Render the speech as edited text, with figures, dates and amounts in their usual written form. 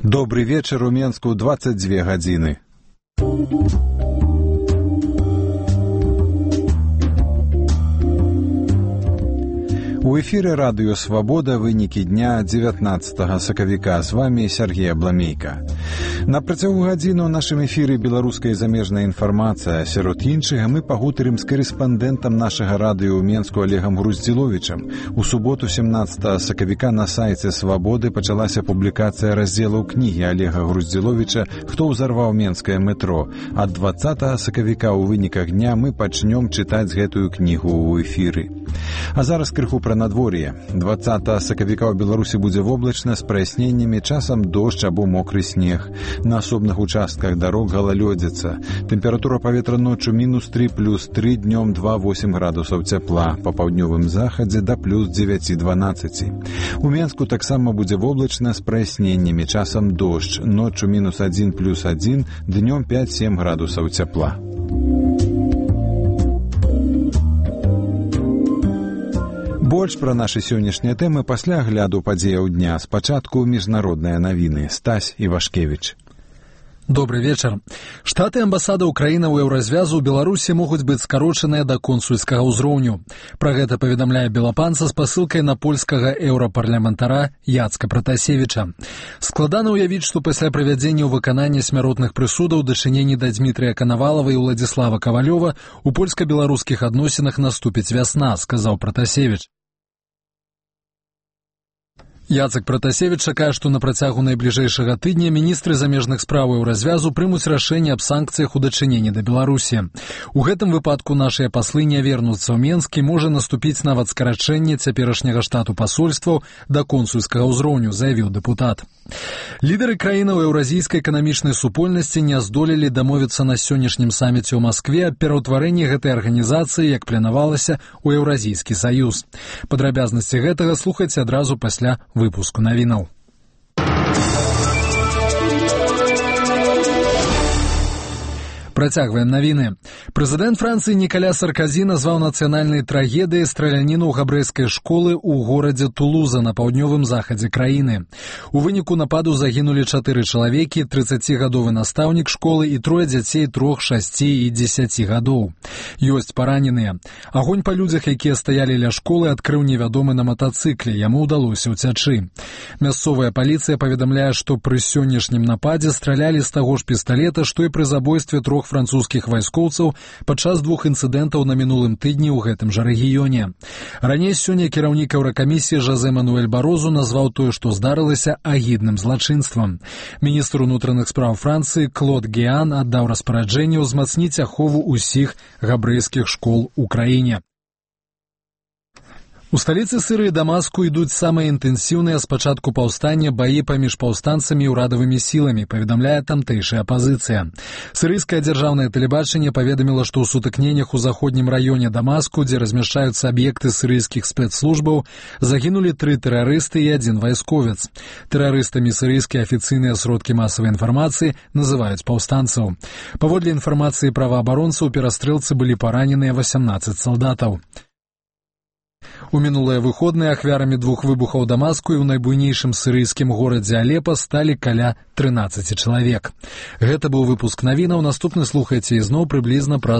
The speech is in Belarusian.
Добрый вечер, у Менску 22 гадзіны. У эфире радио «Свобода», вынікі дня 19 сакавіка. З вами Сергей Абламейка. На працягу гадзіну ў нашым эфіры беларуская і замежная інфармацыя. Сярод іншага мы пагутарым з карэспандэнтам нашага радыё ў Менску Олегам Груздзіловічам. У суботу 17 сакавіка на сайце «Свободы» пачалася публікацыя раздзелаў кнігі Олега Груздзіловіча «Хто ўзарваў менскае метро». Ад 20 сакавіка ў выніках дня мы пачнём чытаць гэтую кнігу ў эфіры. А зараз крыху пра надвор'е. 20 сакавіка ў Беларусі будзе воблачна з праясненнямі, часам дождж або мокры снег. На асобных участках дарог галалёдзіца. Тэмпература паветра ноччу -3, +3, днём 2-8 градусаў цяпла. Па паўднёвым захадзе да +9-12. У Менску таксама будзе воблачна з праясненнямі, часам дождж. Ноччу -1, +1, днём 5-7 градусаў цяпла. Больш пра нашы сённяшнія тэмы пасля агляду падзеяў дня. Спачатку міжнародныя навіны. Стась Івашкевіч. Добрый вечер. Штаты амбасада Украіны ў Еўразвязу ў Беларусі могуць быць скарочаныя да консульскага ўзроўню. Пра гэта паведамляе Белапанца з пасылкай на польскага еўрапарламентара Яцка Пратасевіча. Складана ўявіць, што пасля правядзення ў выканання смяротных прысудаў дачыненні да Дмітрыя Канавалава і Уладзіслава Кавалёва у польска-беларускіх адносінах наступіць вясна, сказаў Пратасевіч. Яцек Пратасевіч чакае, што на працягу найбліжэйшага тыдня міністры замежных спраў Еўразвязу прымуць рашэнне аб санкцыях у дачыненні да Беларусі. У гэтым выпадку нашыя паслы не вернуцца ў Менск і можа наступіць нават скарачэнне цяперашняга штату пасольстваў да консульскага ўзроўню, заявіў дэпутат. Лідары краінаў еўразійскай эканамічнай супольнасці не здолелі дамовіцца на сённяшнім саміце ў Маскве аб пераўтварэнні гэтай арганізацыі, як планавалася, у Еўразійскі саюз. Падрабязнасці гэтага слухайце адразу пасля выпуску навінаў. Працягваем навіны. Прэзідэнт Францыі Нікаля Сарказі назваў нацыянальнай трагедыяй страляніну ў габрэйскай школы ў горадзе Тулуза на паўднёвым захадзе краіны. У выніку нападу загінулі 4 чалавекі, 30-гадовы настаўнік школы і 3 дзяцей 3, 6 і 10 гадоў. Ёсць параненыя. Агонь па людзях, якія стаялі ля школы, адкрыў невядомы на матацыкле. Яму ўдалося ўцячы. Мясцовая паліцыя паведамляе, што пры сённяшнім нападзе стралялі з таго ж пісталета, што і пры забойстве 3 французскіх вайскоўцаў падчас 2 інцыдэнтаў на мінулым тыдні ў гэтым жа рэгіёне. Раней сёння кіраўнік Еўракамісіі Жозе Мануэль Барозу назваў тое, што здарылася, агідным злачынствам. Міністр унутраных спраў Францыі Клод Геан аддаў распараджэнне ўзмацніць ахову ўсіх габрэйскіх школ у краіне. У сталіцы Сірыі Дамаску ідуць самыя інтэнсіўныя з пачатку паўстання баі паміж паўстанцамі і ўрадавымі сіламі, паведамляе тамтэйшая апазіцыя. Сірыйскае дзяржаўнае тэлебачанне паведаміла, што ў сутыкненнях у заходнім раёне Дамаску, дзе размяшчаюцца аб'екты сірыйскіх спецслужбаў, загінулі 3 тэрарысты і 1 вайсковец. Тэрарыстамі сірыйскія афіцыйныя сродкі масавай інфармацыі называюць паўстанцаў. Паводле інфармацыі праваабаронцаў, у перастрэлцы былі параненыя 18 салдатаў. У мінулыя выходныя ахвярамі 2 выбухаў Дамаску і ў найбуйнейшым сірыйскім горадзе Алепа сталі каля 13 чалавек. Гэта быў выпуск навінаў. Наступны слухайце ізноў прыблізна праз